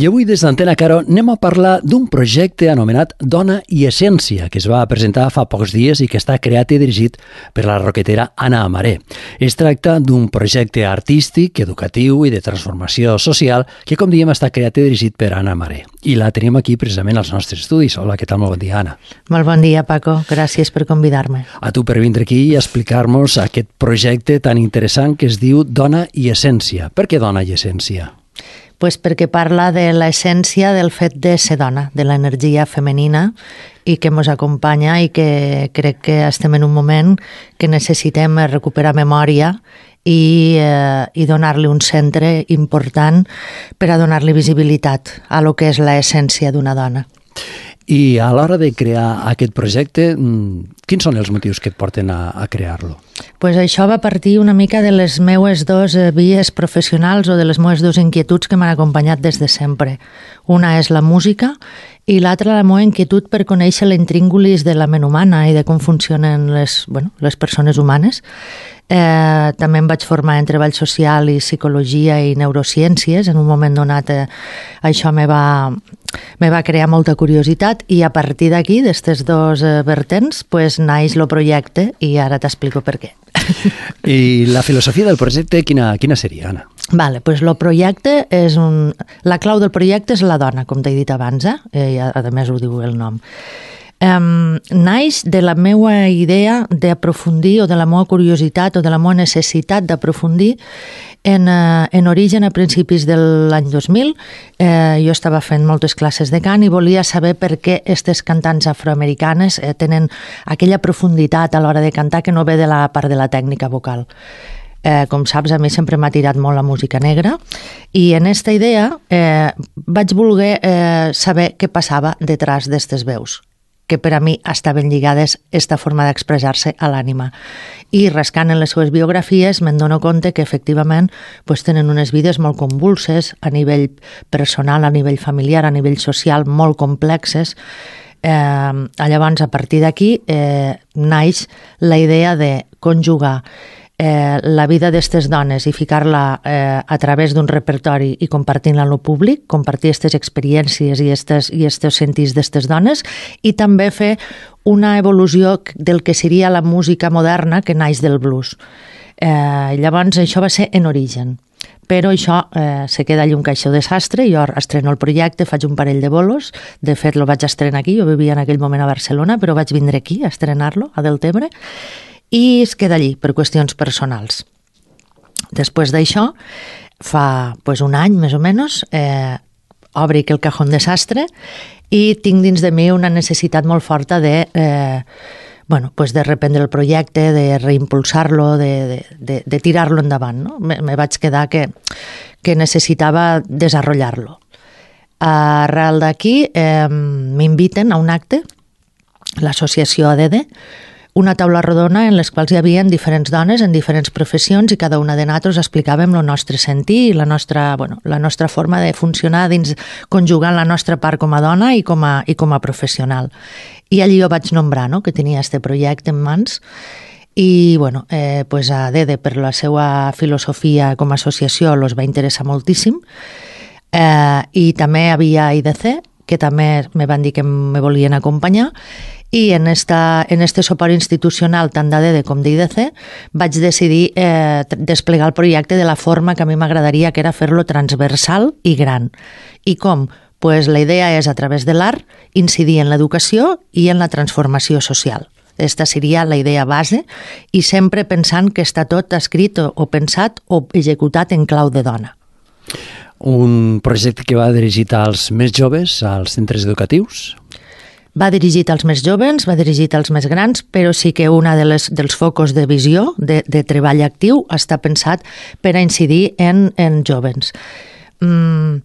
I avui des d'Antena Caro anem a parlar d'un projecte anomenat Dona i Essència, que es va presentar fa pocs dies i que està creat i dirigit per la roquetera Anna Amaré. Es tracta d'un projecte artístic, educatiu i de transformació social que, com diem, està creat i dirigit per Anna Amaré. I la tenim aquí precisament als nostres estudis. Hola, què tal? Molt bon dia, Anna. Molt bon dia, Paco. Gràcies per convidar-me. A tu per vindre aquí i explicar-nos aquest projecte tan interessant que es diu Dona i Essència. Per què Dona i Essència? Pues perquè parla de l'essència del fet de ser dona, de l'energia femenina i que ens acompanya i que crec que estem en un moment que necessitem recuperar memòria i donar-li un centre important per a donar-li visibilitat a lo que és l'essència d'una dona. I a l'hora de crear aquest projecte, quins són els motius que et porten a crear-lo? Pues això va partir una mica de les meues dues vies professionals o de les meues dues inquietuds que m'han acompanyat des de sempre. Una és la música i l'altra la meva inquietud per conèixer l'intríngulis de la ment humana i de com funcionen les persones humanes. També em vaig formar en treball social i psicologia i neurociències. En un moment donat això me va crear molta curiositat i a partir d'aquí, d'aquestes dos vertents, pues, naix el projecte i ara t'explico per què. I la filosofia del projecte quina seria, Anna? Vale, pues el projecte és la clau del projecte és la dona, com t'he dit abans, a més ho diu el nom. Naix de la meva idea d'aprofundir o de la meva curiositat o de la meva necessitat d'aprofundir en origen a principis de l'any 2000. Jo estava fent moltes classes de cant i volia saber per què aquestes cantants afroamericanes tenen aquella profunditat a l'hora de cantar que no ve de la part de la tècnica vocal. Com saps, a mi sempre m'ha tirat molt la música negra i en aquesta idea vaig voler saber què passava detrás d'aquestes veus, que per a mi estaven lligades esta forma d'expressar-se a l'ànima. I rascant en les seves biografies me'n dono compte que efectivament pues, tenen unes vides molt convulses a nivell personal, a nivell familiar, a nivell social, molt complexes. Llavors, a partir d'aquí, naix la idea de conjugar la vida d'aquestes dones i ficar-la a través d'un repertori i compartir-la amb el públic, compartir aquestes experiències i aquests sentits d'aquestes dones i també fer una evolució del que seria la música moderna que naix del blues. Llavors això va ser en origen, però això se queda allà un caixó desastre. Jo estreno el projecte, faig un parell de bolos, de fet el vaig estrenar aquí, jo vivia en aquell moment a Barcelona, però vaig vindre aquí a estrenar-lo, a Deltebre, i es queda allí per qüestions personals. Després d'això, fa un any més o menys, obric el cajón desastre i tinc dins de mi una necessitat molt forta de reprendre el projecte, de reimpulsar-lo, de tirar-lo endavant. No? Me vaig quedar que necessitava desenvolupar-lo. Arrel d'aquí m'inviten a un acte, l'associació ADD, una taula rodona en les quals hi havia diferents dones en diferents professions i cada una de nosaltres explicàvem el nostre sentir i la nostra forma de funcionar dins conjugant la nostra part com a dona i com a professional. I allí jo vaig nombrar que tenia aquest projecte en mans i a DEDE per la seva filosofia com a associació els va interessar moltíssim i també hi havia IDC que també me van dir que me volien acompanyar i en este suport institucional tant d'ADD com d'IDC vaig decidir desplegar el projecte de la forma que a mi m'agradaria, que era fer-lo transversal i gran. I com? Pues la idea és, a través de l'art, incidir en l'educació i en la transformació social. Esta seria la idea base i sempre pensant que està tot escrit o pensat o executat en clau de dona. Un projecte que va dirigit als més joves, als centres educatius? Va dirigit als més joves, va dirigit als més grans, però sí que una dels focus de visió, de treball actiu, està pensat per a incidir en joves. En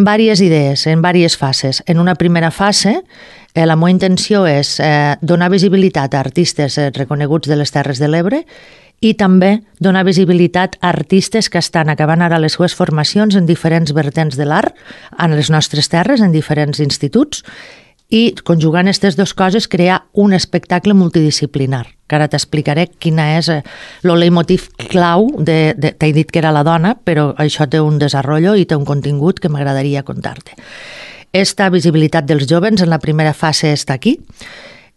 diverses idees, en diverses fases. En una primera fase, la meva intenció és donar visibilitat a artistes reconeguts de les Terres de l'Ebre i també donar visibilitat a artistes que estan acabant ara les seves formacions en diferents vertents de l'art, en les nostres terres, en diferents instituts, i conjugant aquestes dues coses crear un espectacle multidisciplinar, que ara t'explicaré quina és el leitmotiv clau t'he dit que era la dona, però això té un desenvolupament i té un contingut que m'agradaria contar-te. Esta visibilitat dels joves en la primera fase està aquí.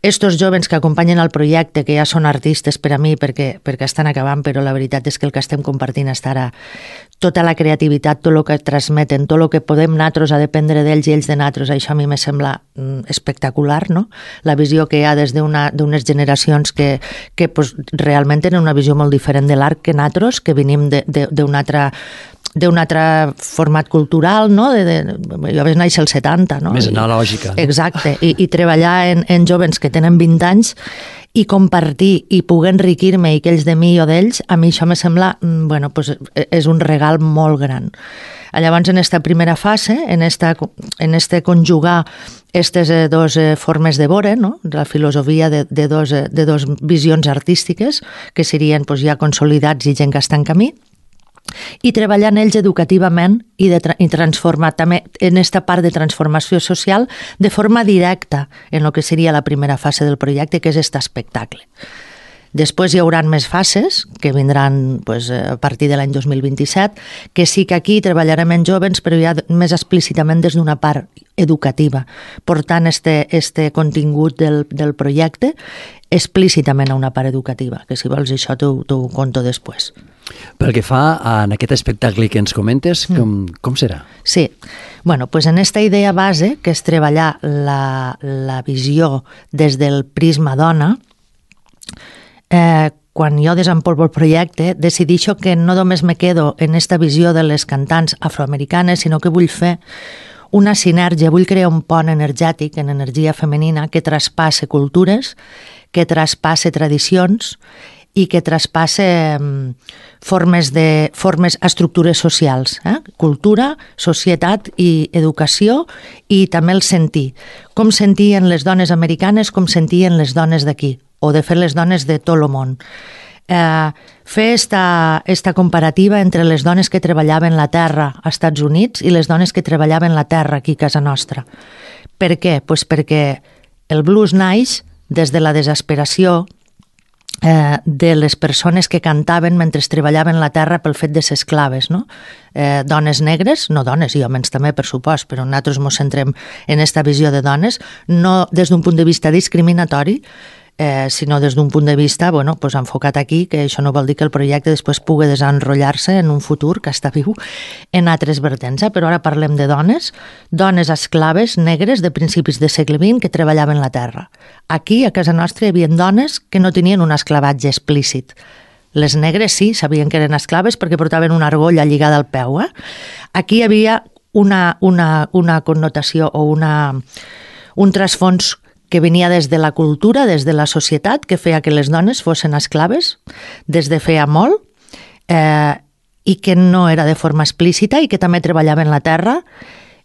Estos joves que acompanyen el projecte, que ja són artistes per a mi perquè estan acabant, però la veritat és que el que estem compartint estarà tota la creativitat, tot el que transmeten, tot el que podem nosaltres a dependre d'ells i ells de nosaltres, això a mi me sembla espectacular, no? La visió que hi ha des d'unes generacions que pues, realment tenen una visió molt diferent de l'art que nosaltres, que venim d'un altre format cultural, no? Jo vaig néixer als 70, no? Més analògica. Exacte, i treballar en joves que tenen 20 anys i compartir i poder enriquir-me i que ells de mi o d'ells, a mi això me sembla, bueno, pues és un regal molt gran. Llavors, en esta primera fase, en este conjugar aquestes dues formes de veure, no? La filosofia de dos visions artístiques, que serien pues, ja consolidats i gent que està en camí, i treballar en ells educativament i transformar també en aquesta part de transformació social de forma directa en el que seria la primera fase del projecte, que és aquest espectacle. Després hi haurà més fases que vindran pues, a partir de l'any 2027, que sí que aquí treballarem en joves, però ja més explícitament des d'una part educativa, portant este contingut del projecte explícitament a una part educativa, que si vols això t'ho conto després. Pel que fa en aquest espectacle que ens comentes, com serà? Sí, bueno, pues en esta idea base, que és treballar la visió des del prisma dona, quan jo desenvolupo el projecte, decideixo que no només me quedo en esta visió de les cantants afroamericanes, sinó que vull fer una sinergia, vull crear un pont energètic en energia femenina que traspasse cultures, que traspasse tradicions i que traspasse estructures socials, cultura, societat i educació i també el sentir. Com sentien les dones americanes, com sentien les dones d'aquí, o de fet les dones de tot el món. Fer esta comparativa entre les dones que treballaven la terra als Estats Units i les dones que treballaven la terra aquí a casa nostra. Per què? Pues perquè el blues naix des de la desesperació de les persones que cantaven mentre treballaven la terra pel fet de ser esclaves, no? Dones negres, no dones i homes també, per supost, però nosaltres ens centrem en aquesta visió de dones, no des d'un punt de vista discriminatori, sinó des d'un punt de vista pues enfocat aquí, que això no vol dir que el projecte després pugui desenrotllar-se en un futur que està viu en altres vertents. Però ara parlem de dones esclaves negres de principis del segle XX que treballaven la terra. Aquí, a casa nostra, hi havia dones que no tenien un esclavatge explícit. Les negres sí, sabien que eren esclaves perquè portaven una argolla lligada al peu. Aquí hi havia una connotació o un trasfons que venia des de la cultura, des de la societat, que feia que les dones fossin esclaves des de feia molt i que no era de forma explícita i que també treballaven la terra.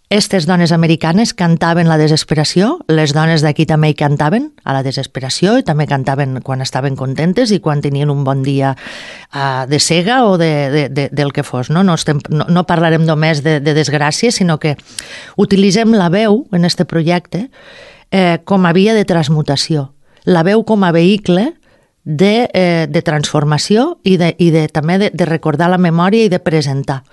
Aquestes dones americanes cantaven la desesperació, les dones d'aquí també hi cantaven a la desesperació i també cantaven quan estaven contentes i quan tenien un bon dia de cega o del que fos. No parlarem només de desgràcies, sinó que utilitzem la veu en aquest projecte com a via de transmutació, la veu com a vehicle de transformació i també de recordar la memòria i de presentar.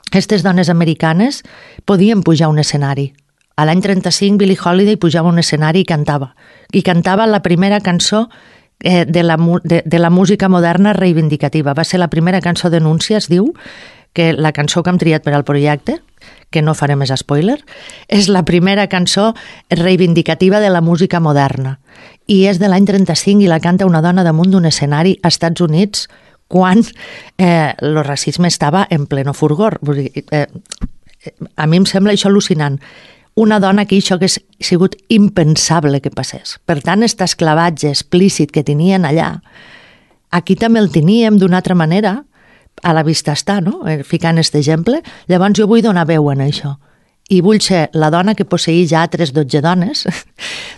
Aquestes dones americanes podien pujar a un escenari. A l'any 35 Billie Holiday pujava a un escenari i cantava. I cantava la primera cançó de la música moderna reivindicativa. Va ser la primera cançó d'Anúncia, es diu, que la cançó que hem triat per al projecte, que no faré més spoiler, és la primera cançó reivindicativa de la música moderna. I és de l'any 35 i la canta una dona damunt d'un escenari als Estats Units quan el racisme estava en pleno furgor. A mi em sembla això al·lucinant. Una dona que això hagués sigut impensable que passés. Per tant, aquest esclavatge explícit que tenien allà, aquí també el teníem d'una altra manera, a la vista està, no? Ficant aquest exemple. Llavors jo vull donar veu en això. I vull ser la dona que posseïa ja altres 12 dones,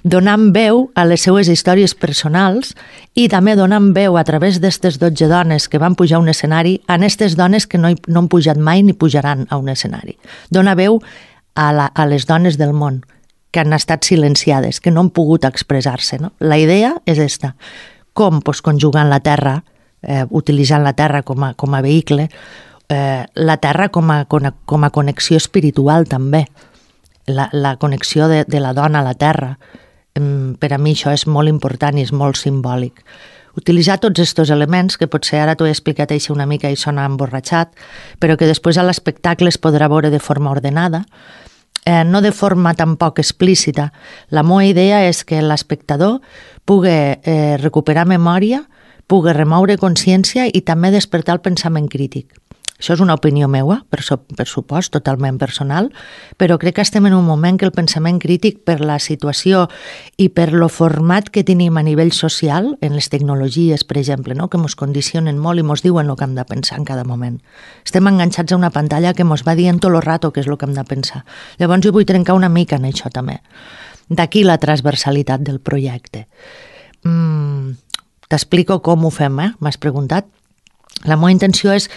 donant veu a les seues històries personals i també donant veu a través d'aquestes 12 dones que van pujar a un escenari a aquestes dones que no han pujat mai ni pujaran a un escenari. Dona veu a les dones del món que han estat silenciades, que no han pogut expressar-se. No? La idea és esta. Com? Pues, conjugant la terra, utilitzant la terra com a vehicle, la terra com a connexió espiritual també, la connexió de la dona a la terra. Per a mi això és molt important i és molt simbòlic. Utilitzar tots aquests elements, que potser ara t'ho he explicat així una mica i sona emborratxat, però que després a l'espectacle es podrà veure de forma ordenada, no de forma tampoc explícita. La meva idea és que l'espectador pugui recuperar memòria, pugui remoure consciència i també despertar el pensament crític. Això és una opinió meva, per supost, totalment personal, però crec que estem en un moment que el pensament crític, per la situació i per lo format que tenim a nivell social, en les tecnologies, per exemple, no? Que ens condicionen molt i ens diuen el que hem de pensar en cada moment. Estem enganxats a una pantalla que ens va dient tot el rato què és el que hem de pensar. Llavors jo vull trencar una mica en això també. D'aquí la transversalitat del projecte. T'explico com ho fem, m'has preguntat. La meva intenció és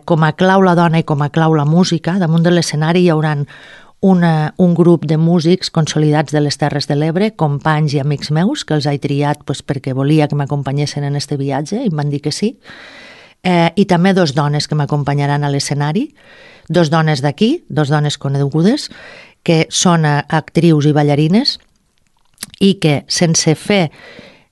com a clau la dona i com a clau la música. Damunt de l'escenari hi haurà un grup de músics consolidats de les Terres de l'Ebre, companys i amics meus, que els he triat perquè volia que m'acompanyessin en este viatge i em van dir que sí. I també dos dones que m'acompanyaran a l'escenari, dos dones d'aquí, dos dones conegudes, que són actrius i ballarines i que sense fer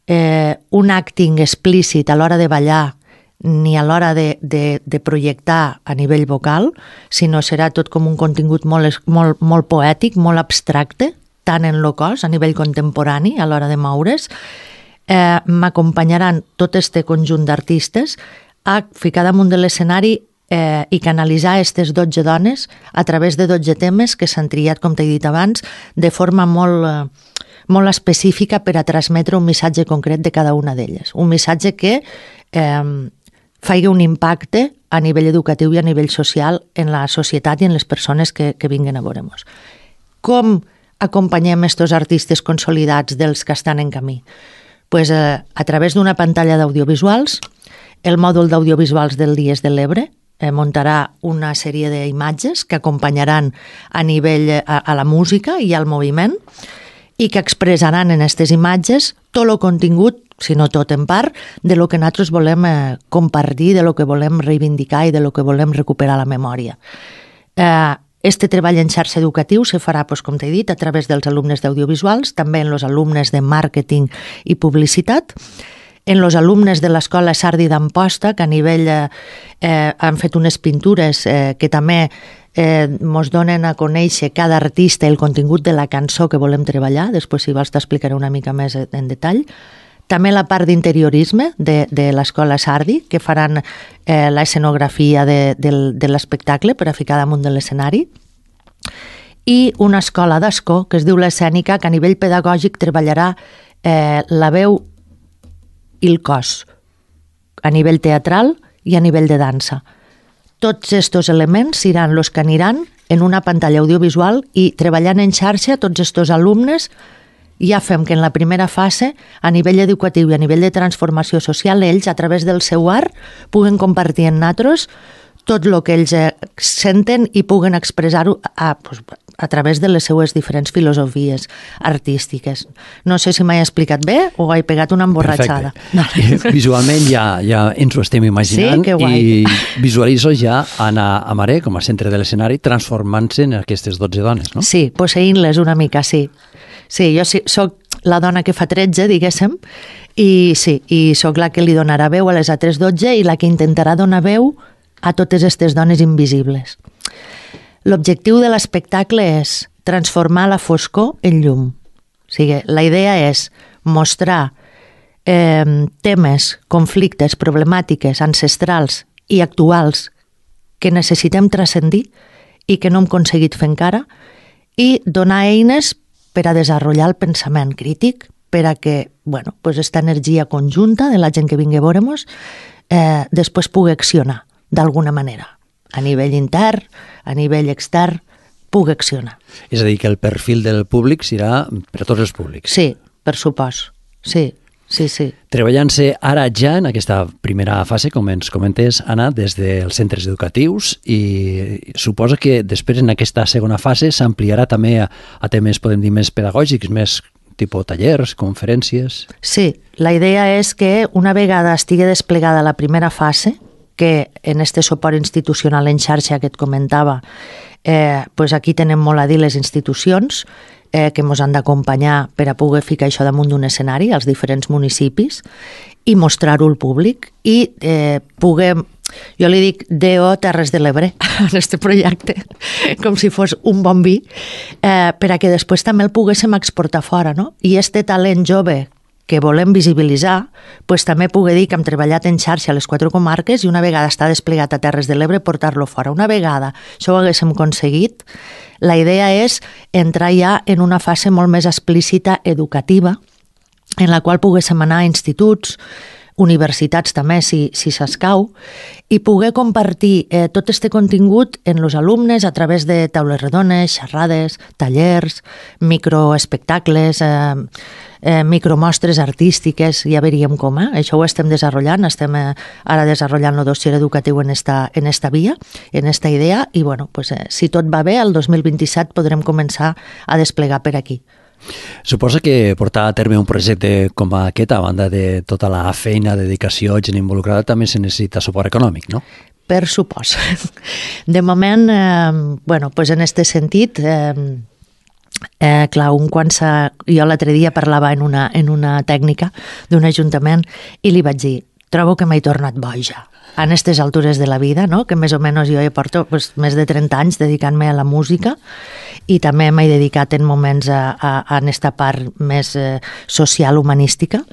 un acting explícit a l'hora de ballar ni a l'hora de projectar a nivell vocal, sinó serà tot com un contingut molt poètic, molt abstracte, tant en el cos, a nivell contemporani, a l'hora de moure's. M'acompanyaran tot este conjunt d'artistes a ficar damunt de l'escenari i canalitzar aquestes 12 dones a través de 12 temes que s'han triat, com t'he dit abans, de forma molt específica per a transmetre un missatge concret de cada una d'elles. Un missatge que faci un impacte a nivell educatiu i a nivell social en la societat i en les persones que vinguen a veure-nos. Com acompanyem aquests artistes consolidats dels que estan en camí? Pues, a través d'una pantalla d'audiovisuals. El mòdul d'audiovisuals del Dies de l'Ebre muntarà una sèrie d'imatges que acompanyaran a nivell a la música i al moviment i que expressaran en aquestes imatges tot el contingut, si no tot en part, de lo que nosaltres volem compartir, de lo que volem reivindicar i de lo que volem recuperar la memòria. Este treball en xarxa educatiu se farà, com t'he dit, a través dels alumnes d'audiovisuals, també en els alumnes de màrqueting i publicitat, en els alumnes de l'Escola Sardi d'Amposta, que a nivell han fet unes pintures que també ens donen a conèixer cada artista el contingut de la cançó que volem treballar. Després, si vols, t'explicaré una mica més en detall. També la part d'interiorisme de l'Escola Sardi, que faran l'escenografia de l'espectacle per a ficar damunt de l'escenari. I una escola d'escó, que es diu l'Escènica, que a nivell pedagògic treballarà la veu i el cos, a nivell teatral i a nivell de dansa. Tots aquests elements seran els que aniran en una pantalla audiovisual i treballant en xarxa tots aquests alumnes ja fem que en la primera fase, a nivell educatiu i a nivell de transformació social, ells, a través del seu art, puguen compartir amb nosaltres tot el que ells senten i puguen expressar-ho a través de les seues diferents filosofies artístiques. No sé si m'he explicat bé o he pegat una emborratxada. Perfecte. Visualment ja ens ho estem imaginant, sí, que guai. I visualitzo ja Anna Amaré com a centre de l'escenari transformant-se en aquestes 12 dones, no? Sí, posseint-les una mica, sí. Sí, jo soc la dona que fa 13, diguéssim, i sí, i soc la que li donarà veu a les altres 12 i la que intentarà donar veu a totes aquestes dones invisibles. L'objectiu de l'espectacle és transformar la foscor en llum. O sigui, la idea és mostrar temes, conflictes, problemàtiques ancestrals i actuals que necessitem transcendir i que no hem aconseguit fer encara i donar eines per a desenvolupar el pensament crític, per a que aquesta energia conjunta de la gent que vingui a veure-nos després pugui accionar d'alguna manera, a nivell intern, a nivell extern, pugui accionar. És a dir, que el perfil del públic serà per a tots els públics. Sí, per supost, sí. Sí, sí. Treballant-se ara ja en aquesta primera fase, com ens comentes, Anna, des dels centres educatius, i suposo que després en aquesta segona fase s'ampliarà també a temes, podem dir, més pedagògics, més tipus tallers, conferències... Sí, la idea és que una vegada estigui desplegada la primera fase, que en este suport institucional en xarxa que et comentava, pues aquí tenen molt a dir les institucions que ens han d'acompanyar per a poder ficar això damunt d'un escenari als diferents municipis i mostrar-ho al públic i poder, jo li dic DO Terres de l'Ebre en este projecte, com si fos un bon vi, per a que després també el poguéssim exportar fora, no? I este talent jove que volem visibilitzar, pues també pugui dir que hem treballat en xarxa a les 4 comarques i una vegada està desplegat a Terres de l'Ebre portar-lo fora. Una vegada això ho haguéssim aconseguit, la idea és entrar ja en una fase molt més explícita educativa en la qual poguéssim anar a instituts, universitats també, si s'escau, i poder compartir tot este contingut en els alumnes a través de taules rodones, xerrades, tallers, microespectacles, micromostres artístiques, ja veríem com, això ho estem desenvolupant, estem ara desenvolupant el dossier educatiu en esta via, en esta idea, i bueno, pues, si tot va bé, el 2027 podrem començar a desplegar per aquí. Suposa que portar a terme un projecte com aquest, a banda de tota la feina, dedicació, gent involucrada, també se necessita suport econòmic, no? Per supòs. De moment, bueno, pues en este sentit, clar, jo l'altre dia parlava en una tècnica d'un ajuntament i li vaig dir, trobo que m'he tornat boja a aquestes altures de la vida, no? Que més o menys jo porto pues, més de 30 anys dedicant-me a la música i també m'he dedicat en moments a aquesta part més social, humanística.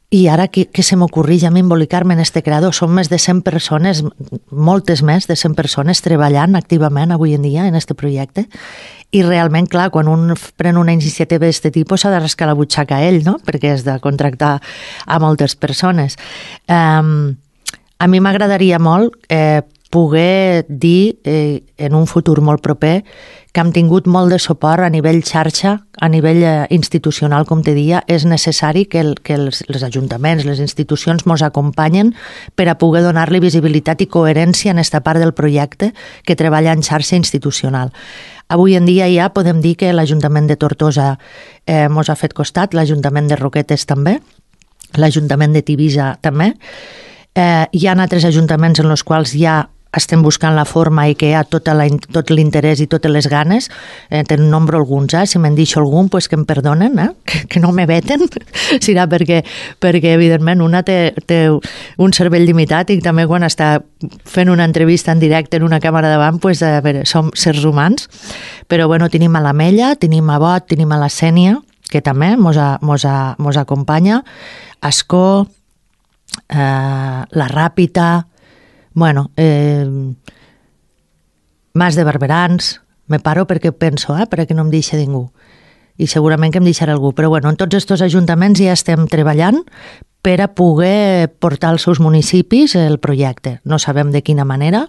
I ara que se m'ocorreix a mi embolicar-me en este creador, són més de 100 persones, moltes més de 100 persones treballant activament avui en dia en este projecte. I realment, clar, quan un pren una iniciativa d'aquest tipus s'ha de rascar la butxaca a ell, no? Perquè has de contractar a moltes persones. A mi m'agradaria molt poder dir en un futur molt proper que hem tingut molt de suport a nivell xarxa, a nivell institucional, com te dia. És necessari que els ajuntaments, les institucions ens acompanyen per a poder donar-li visibilitat i coherència en aquesta part del projecte que treballa en xarxa institucional. Avui en dia ja podem dir que l'Ajuntament de Tortosa ens ha fet costat, l'Ajuntament de Roquetes també, l'Ajuntament de Tivisa també. Hi ha altres ajuntaments en els quals ja estem buscant la forma i que hi ha tot l'interès i totes les ganes. Te'n nombro alguns, si me'n deixo algun, pues que em perdonen, que no me veten. Serà perquè evidentment, una té un cervell limitat i també quan està fent una entrevista en directe en una càmera davant, pues, a veure, som sers humans. Però bueno, tenim a l'Ametlla, tenim a Bot, tenim a la Sènia, que també mos acompanya, Ascó, la Ràpita, bueno, Mas de Barberans, me paro perquè penso, perquè no em deixa ningú. I segurament que em deixarà algú. Però bueno, en tots aquests ajuntaments ja estem treballant per a poder portar als seus municipis el projecte. No sabem de quina manera,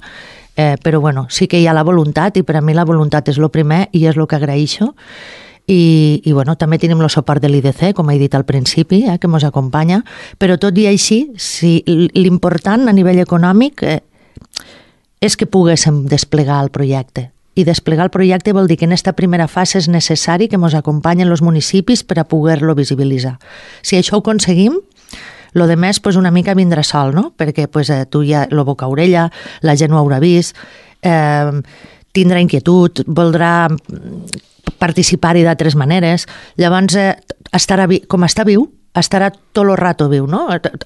però bueno, sí que hi ha la voluntat i per a mi la voluntat és el primer i és el que agraeixo. I bueno, també tenim el suport de l'IDC, com he dit al principi, que ens acompanya, però tot i així, l'important a nivell econòmic és que poguéssim desplegar el projecte. I desplegar el projecte vol dir que en aquesta primera fase és necessari que ens acompanyen els municipis per a poder-lo visibilitzar. Si això ho aconseguim, lo de més pues, una mica vindrà sol, no? Perquè pues, tu ja lo boca a orella, la gent ho haurà vist, tindrà inquietud, voldrà participar-hi d'altres maneres. Llavors, com està viu, estarà tot el rato viu, no?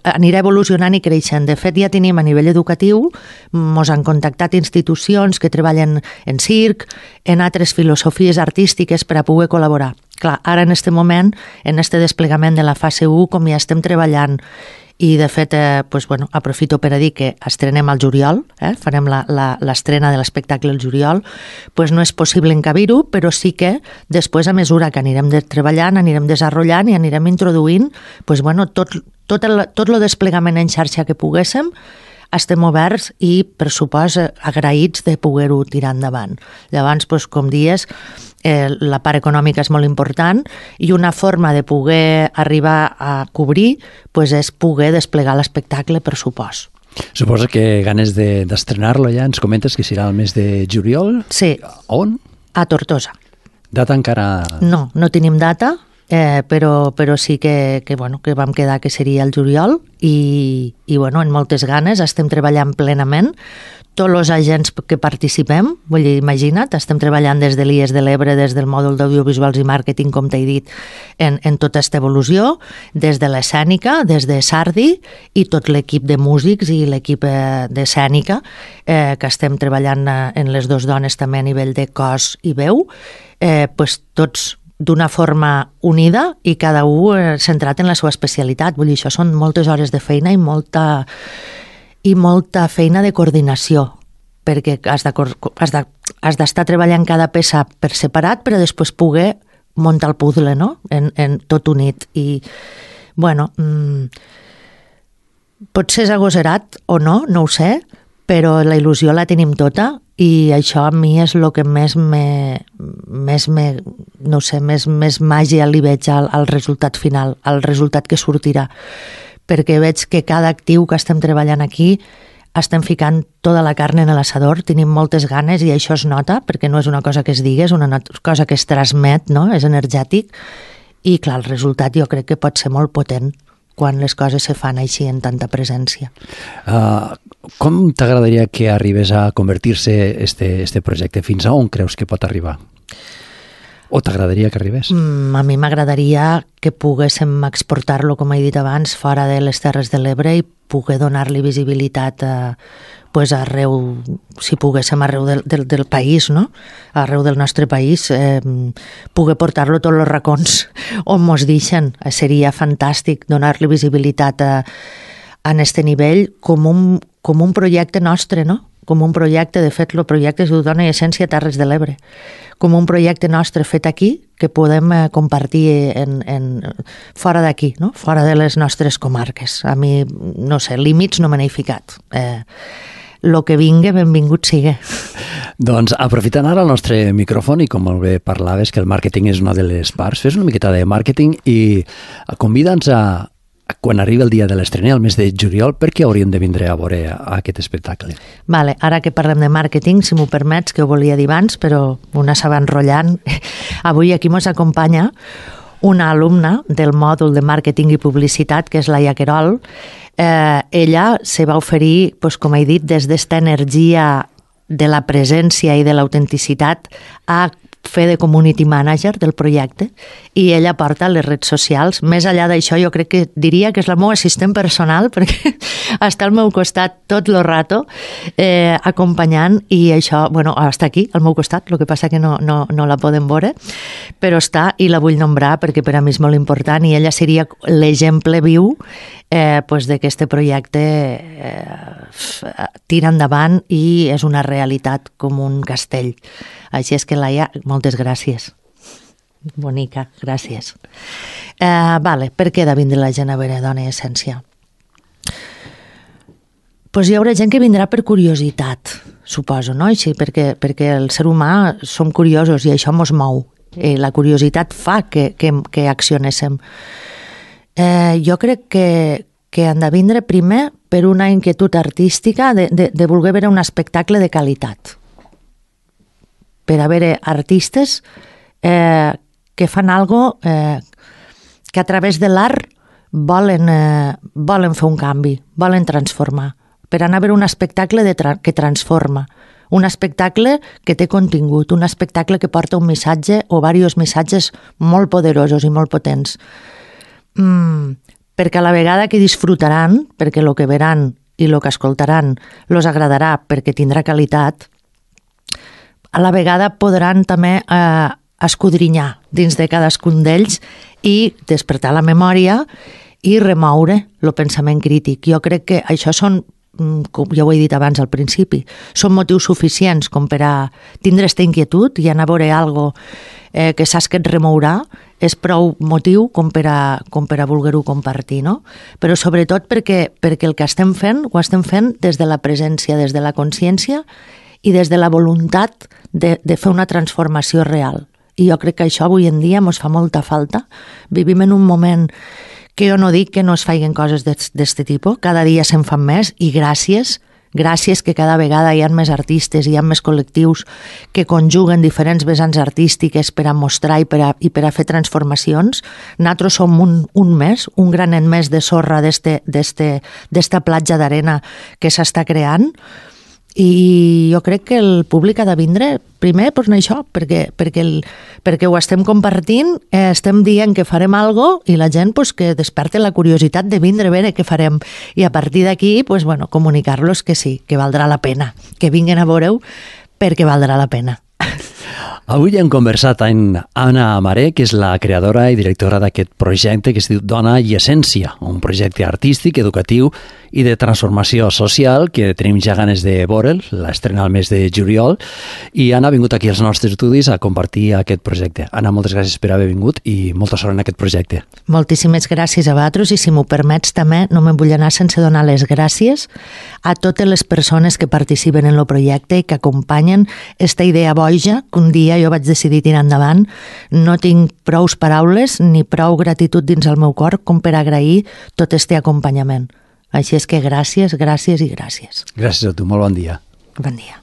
Anirà evolucionant i creixent. De fet, ja tenim a nivell educatiu, ens han contactat institucions que treballen en circ, en altres filosofies artístiques per a poder col·laborar. Clar, ara en aquest moment, en aquest desplegament de la fase 1, com ja estem treballant i de fet, pues, bueno, aprofito per a dir que estrenem al juliol, farem l'estrena de l'espectacle al juliol, pues no és possible encabir-ho, però sí que després, a mesura que anirem treballant, anirem desenvolupant i anirem introduint, pues, bueno, tot el desplegament en xarxa que poguéssim, estem oberts i, per supost, agraïts de poder-ho tirar endavant. Llavors, pues, com dies, la part econòmica és molt important i una forma de poder arribar a cobrir és poder desplegar l'espectacle, per supost. Suposo que ganes d'estrenar-lo ja. Ens comentes que serà el mes de juliol? Sí. On? A Tortosa. Data encara... No tenim data, però sí que vam quedar que seria el juliol i en moltes ganes, estem treballant plenament. Tots els agents que participem, vull dir, imagina't, estem treballant des de l'IES de l'Ebre, des del mòdul d'audiovisuals i màrqueting, com t'he dit, en tota aquesta evolució, des de l'escènica, des de Sardi i tot l'equip de músics i l'equip d'escènica, que estem treballant en les dues dones també a nivell de cos i veu, tots d'una forma unida i cada un centrat en la seva especialitat. Vull dir, això són moltes hores de feina i molta feina de coordinació, perquè has d'estar treballant cada peça per separat, però després poder muntar el puzzle, no?, en tot unit. I, potser és agosarat o no ho sé, però la il·lusió la tenim tota i això a mi és el que més màgia li veig al resultat final, al resultat que sortirà, perquè veig que cada actiu que estem treballant aquí estem ficant tota la carn en l'assador, tenim moltes ganes i això es nota, perquè no és una cosa que es digui, és una cosa que es transmet, no? És energètic i clar, el resultat jo crec que pot ser molt potent quan les coses se fan així en tanta presència. Com t'agradaria que arribés a convertir-se este projecte? Fins a on creus que pot arribar? O t'agradaria que arribés? A mi m'agradaria que poguéssim exportar-lo, com he dit abans, fora de les Terres de l'Ebre i poder donar-li visibilitat arreu, si poguéssim arreu del país, no? Arreu del nostre país, poder portar-lo a tots els racons on mos deixen. Seria fantàstic donar-li visibilitat en este nivell com un projecte nostre, no? Com un projecte, de fet, el projecte es diu Dona i Essència Terres de l'Ebre, com un projecte nostre fet aquí que podem compartir fora d'aquí, no? Fora de les nostres comarques. A mi, no sé, límits no me n'he ficat. Lo que vingui, benvingut sigui. Doncs aprofitant ara el nostre micròfon i com molt bé parlaves que el màrqueting és una de les parts, fes una miqueta de màrqueting i convida'ns quan arriba el dia de l'estrena, el mes de juliol, per què hauríem de vindre a veure aquest espectacle? Vale, ara que parlem de màrqueting, si m'ho permets, que ho volia dir abans, però una s'ha enrotllant. Avui aquí ens acompanya una alumna del mòdul de màrqueting i publicitat, que és Laia Querol. Ella se va oferir, com he dit, des d'esta energia de la presència i de l'autenticitat a fer de community manager del projecte i ella porta les redes socials. Més enllà d'això, jo crec que diria que és la meva assistent personal perquè està al meu costat tot el rato acompanyant i això, està aquí al meu costat, el que passa que no la podem veure, però està i la vull nombrar perquè per a mi és molt important i ella seria l'exemple viu de que este projecte tira endavant i és una realitat com un castell. Així és que, Laia, moltes gràcies. Bonica, gràcies. Per què de vindre la gent a veure Dona i Essència? Hi haurà gent que vindrà per curiositat, suposo, no? Així, perquè el ser humà som curiosos i això mos mou. La curiositat fa que accionéssim. Jo crec que han de vindre primer per una inquietud artística de voler veure un espectacle de qualitat. Per haver artistes que fan algo que a través de l'art volen fer un canvi, volen transformar, per anar a veure un espectacle que transforma, un espectacle que té contingut, un espectacle que porta un missatge o diversos missatges molt poderosos i molt potents. Perquè a la vegada que disfrutaran, perquè el que veran i el que escoltaran els agradarà perquè tindrà qualitat, a la vegada podran també escudrinyar dins de cadascun d'ells i despertar la memòria i remoure el pensament crític. Jo crec que això són, com ja ho he dit abans al principi, són motius suficients com per a tindre aquesta inquietud i anar a veure alguna cosa que saps que et remourà, és prou motiu com per a voler-ho compartir, no? Però sobretot perquè el que estem fent, ho estem fent des de la presència, des de la consciència i des de la voluntat de fer una transformació real i jo crec que això avui en dia ens fa molta falta. Vivim en un moment que jo no dic que no es feien coses d'aquest tipus, cada dia se'n fan més, i gràcies que cada vegada hi ha més artistes, hi ha més col·lectius que conjuguen diferents vessants artístiques per a mostrar i per a fer transformacions. Nosaltres som un més, un granet més de sorra d'esta platja d'arena que s'està creant, i jo crec que el públic ha de vindre primer per això, perquè ho estem compartint, estem dient que farem alguna cosa, i la gent que desperte la curiositat de vindre a veure què farem, i a partir d'aquí comunicar-los que sí, que valdrà la pena, que vinguin a veure-ho perquè valdrà la pena. Avui hem conversat amb Anna Amaré, que és la creadora i directora d'aquest projecte que es diu Dona i Essència, un projecte artístic, educatiu i de transformació social que tenim ja ganes de veure'l, l'estrena al mes de juliol, i Anna ha vingut aquí als nostres estudis a compartir aquest projecte. Anna, moltes gràcies per haver vingut i molta sort en aquest projecte. Moltíssimes gràcies a vosaltres, i si m'ho permets també no me'n vull anar sense donar les gràcies a totes les persones que participen en el projecte i que acompanyen esta idea boja que un dia jo vaig decidir tirar endavant. No tinc prous paraules ni prou gratitud dins el meu cor com per agrair tot este acompanyament. Així és que gràcies, gràcies i gràcies. Gràcies a tu, molt bon dia. Bon dia.